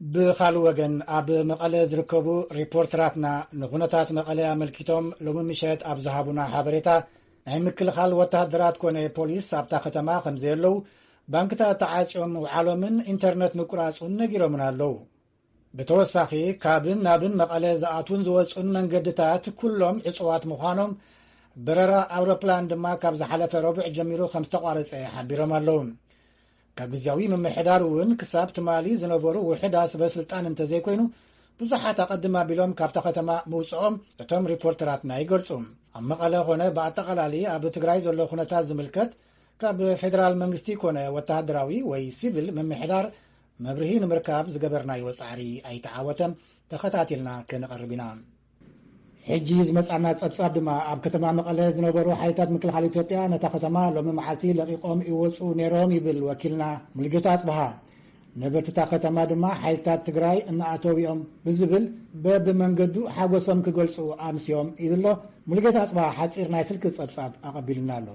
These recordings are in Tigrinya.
ብኻልእ ወገን፣ ኣብ መቐለ ዝርከቡ ሪፖርተራትና ንኹነታት መቐለ ኣመልኪቶም ሎሚ ምሸት ኣብ ዝሃቡና ሓበሬታ፣ ናይ ምክልኻል ወተሃደራት ኮነ ፖሊስ ኣብታ ከተማ ከም ዘየለዉ፣ ባንክታት ተዓጽዮም ምውዓሎምን ኢንተርነት ምቁራጹን ነጊሮምና ኣለዉ። ብተወሳኺ፣ ካብን ናብን መቐለ ዝኣትዉን ዝወጹን መንገድታት ኩሎም ዕጹዋት ምዃኖም፣ በረራ ኣውሮፕላን ድማ ካብ ዝሓለፈ ረቡዕ ጀሚሩ ከም ዝተቋረጸ ሓቢሮም ኣለዉ። ካብ ግዝያዊ ምምሕዳር እውን ክሳብ ትማሊ ዝነበሩ ውሑዳት ሰበ ስልጣን እንተዘይኮይኑ፣ ብዙሓት ኣቐድም ኣቢሎም ካብታ ከተማ ምውጽኦም እቶም ሪፖርተራትና ይገልጹ። ኣብ መቐለ ኾነ ብኣጠቓላሊ ኣብ ትግራይ ዘሎ ኩነታት ዝምልከት ካብ ፌደራል መንግስቲ ኮነ ወተሃደራዊ ወይ ሲቪል ምምሕዳር መብርሂ ንምርካብ ዝገበርናዮ ጻዕሪ ኣይተዓወተን። ተኸታቲልና ከነቐርብ ኢና። ሕጂ ዝመጻና ጸብጻብ ድማ፣ ኣብ ከተማ መቐለ ዝነበሩ ሓይልታት ምክልኻል ኢትዮጵያ ነታ ከተማ ሎሚ መዓልቲ ለቒቖም ይወጹ ነይሮም ይብል ወኪልና ሙሉጌታ ኣጽብሃ። ነበርትታ ከተማ ድማ ሓይልታት ትግራይ እናኣተው እዮም ብዝብል በብመንገዱ ሓጎሶም ክገልጹ ኣምስዮም ኢሉ ኣሎ። ሙሉጌታ ኣጽብሃ ሓጺር ናይ ስልኪ ጸብጻብ ኣቐቢሉና ኣሎ።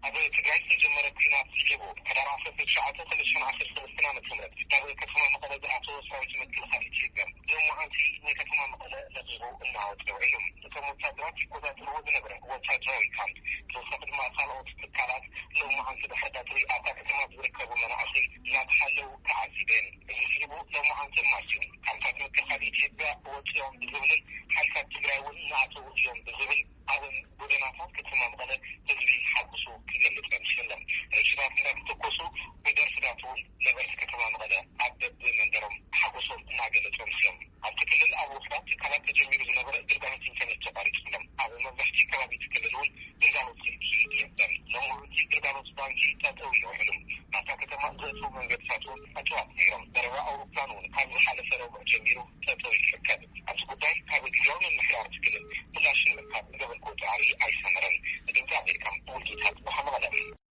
ኣብ ትግራይ ዝተጀመረ ኲናት ስዒቡ፣ ሕዳር ዓሰርተ ትሽዓተ ክልተ ሽሕን ዓሰርተ ሰለስተን ዓመተ ምህረት ናብ ከተማ መቐለ ዝኣተወ ሰራዊት ምክልኻል ኢትዮጵያ፣ ሎማዓንቲ ንከተማ መቐለ ለቒቑ እናወጸ ውዒሉ። እቶም ወታደራት ይቆጻጸርዎ ዝነበረ ወታደራዊ ካምፕ፣ ብተወሳኺ ድማ ካልኦት ትካላት፣ ሎማዓንቲ ብሕዳር ኣብታ ከተማ ዝርከቡ መናእሰይ እናተሓለዉ ተዓዚበ። እዚ ስዒቡ፣ ሎማዓንቲ ማስዩ፣ ካምፕታት ምክልኻል ኢትዮጵያ ወጺኦም ብዝብልን ሓይልታት ትግራይ እውን እናኣተዉ እዮም ብዝብል፣ ኣብ ጎደናታት ከተማ መቐለ ህዝቢ ሓጎሱ ክገልጽ ኣምስዩ ኣሎ። ረሽናት እንዳተተኮሱ፣ ብደርፍታት እውን ነበርቲ ከተማ መቐለ ኣብ በብመንደሮም ሓጎሶም እናገለጹ ኣምስዮም። ኣብቲ ክልል ኣብ ውሑዳት ትካላት ተጀሚሩ ዝነበረ ግልጋሎት ኢንተርኔት ተቋሪጹ ኣሎ። ኣብ መብዛሕትኡ ከባቢ እቲ ክልል እውን ግልጋሎት ስልኪ የለን። ሎማዓንቲ ግልጋሎት ባንኪ ጠጠው ኢሉ ውዒሉ። ናብታ ከተማ ዘእትዉ መንገድታት እውን ዕጹዋት ነይሮም። በረራ ኣውሮፕላን እውን ካብ ዝሓለፈ ረቡዕ ጀሚሩ ጠጠው ኢሉ ይርከብ። ኣብዚ ጉዳይ ካብ ግዝያዊ ምምሕዳር እቲ ክልል